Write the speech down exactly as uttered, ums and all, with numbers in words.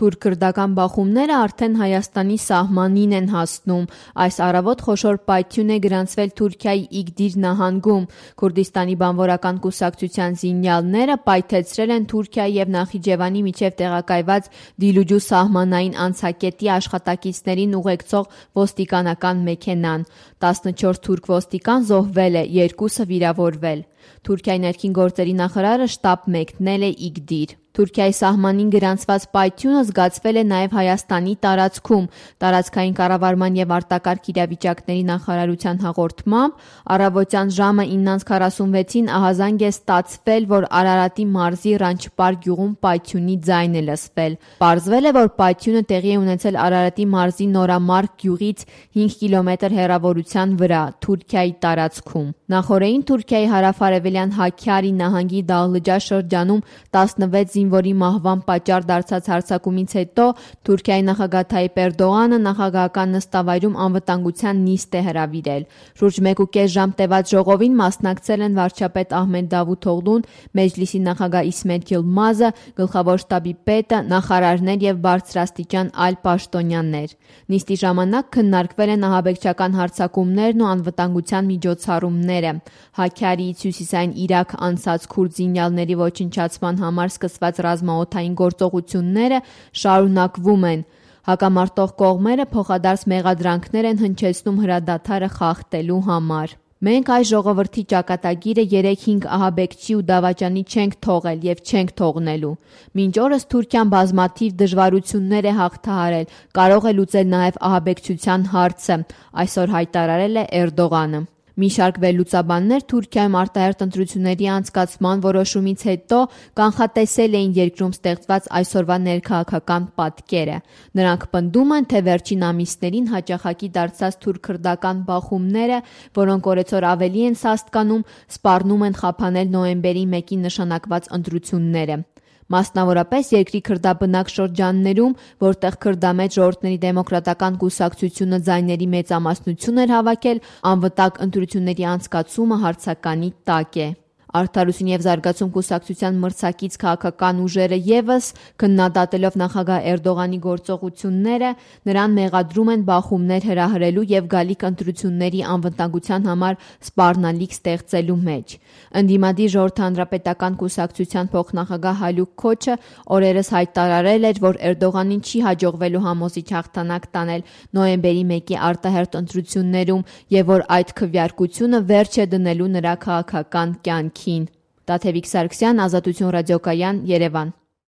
Թուրք-քրդական բախումները արդեն Հայաստանի սահմանին են հասնում։ Այս առավոտ խոշոր պայթյուն է գրանցվել Թուրքիայի Իգդիր նահանգում։ Քուրդիստանի բանվորական կուսակցության զինյալները պայթեցրել են Թուրքիայի և Նախիջևանի միջև տեղակայված Դիլուջու սահմանային անցակետի աշխատակիցներին ուղեկցող ոստիկանական մեքենան։ տասնչորս թուրք ոստիկան զոհվել է, երկուսը վիրավորվել։ Թուրքիայի ներքին գործերի նախարարը շտապ մեկնել է Իգդիր։ Թուրքիայի սահմանին գրանցված պայթյունը զգացվել է նաև Հայաստանի տարածքում։ Տարածքային կառավարման և արտակարգ իրավիճակների նախարարության հաղորդմամբ առավոտյան ժամը իննից քառասունվեցին ահազանգ է ստացվել, որ Արարատի մարզի Ռանչպար գյուղում պայթյունի ձայն է լսվել։ Պարզվել է, որ պայթյունը տեղի է ունեցել Արարատի մարզի Նորամարկ գյուղից հինգ կիլոմետր հեռավորության վրա, Թուրքիայի տարածքում։ Նախօրեին Թուրքիայի հարավ-արևելյան Հաքքյարի նահանգի Դաղլջա շրջանում տասնվեց զինվորի մահվան պատճառ դարձած հարձակումից հետո Թուրքիայի նախագահ Թայիպ Էրդողանը նախագահական նստավայրում անվտանգության նիստ է հրավիրել։ Շուրջ մեկ ու կես ժամ տևած ժողովին մասնակցել են վարչապետ Ահմեդ Դավութօղլուն, Մեջլիսի նախագահ Իսմեթ Յիլմազը, գլխավոր շտաբի պետը, նախարարներ և բարձրաստիճան այլ պաշտոնյաներ։ Նիստի ժամանակ քննարկվել են ահաբեկչական հարձակումներն ու անվտանգության միջոցառումները։ Հաքքյարիից հյուսիսային Իրաք անցած քուրդ զինյալների ոչնչացման համար սկսված ռազմաօդային գործողությունները շարունակվում են։ Հակամարտող կողմերը փոխադարձ մեղադրանքներ են հնչեցնում հրադադարը խախտելու համար։ Մենք այս ժողովրդի ճակատագիրը երեք-հինգ ահաբեկչի ու դավաճանի չենք թողել և չենք թողնելու։ Մինչ օրս Թուրքիան բազմաթիվ դժվարություններ է հաղթահարել, կարող է լուծել նաև ահաբեկչության հարցը, այսօր հայտարարել է Էրդողանը։ Մի շարք վերլուծաբաններ Թուրքիայում արտահերթ ընտրությունների անցկացման որոշումից հետո կանխատեսել էին երկրում ստեղծված այսօրվա ներքաղաքական պատկերը։ Նրանք պնդում են, թե վերջին ամիսներին հաճախակի դարձած թուրք-քրդական բախումները, որոնք օրեցօր ավելի են սաստկանում, սպառնում են խափանել նոյեմբերի մեկին նշանակված ընտրությունները։ Մասնավորապես երկրի քրդաբնակ շրջաններում, որտեղ քրդամետ ժողովուրդների դեմոկրատական կուսակցությունը ձայների մեծամասնություն էր հավաքել, անվտանգ ընտրությունների անցկացումը հարցականի տակ է։ Արդարություն և զարգացում կուսակցության մրցակից քաղաքական ուժերը ևս, քննադատելով նախագահ Էրդողանի գործողությունները, նրան մեղադրում են բախումներ հրահրելու և գալիք ընտրությունների անվտանգության համար սպառնալիք ստեղծելու մեջ։ Ընդդիմադիր Ժողովրդի հանրապետական կուսակցության փոխնախագահ Հալուք Քոչը օրերս հայտարարել էր, որ Էրդողանին չի հաջողվելու համոզիչ հաղթանակ տանել նոյեմբերի մեկի արտահերթ ընտրություններում և որ այդ քվեարկությունը վերջ է դնելու նրա քաղաքական կյանքին։ Տաթևիկ Սարգսյան, Ազատություն ռադիոկայան, Երևան։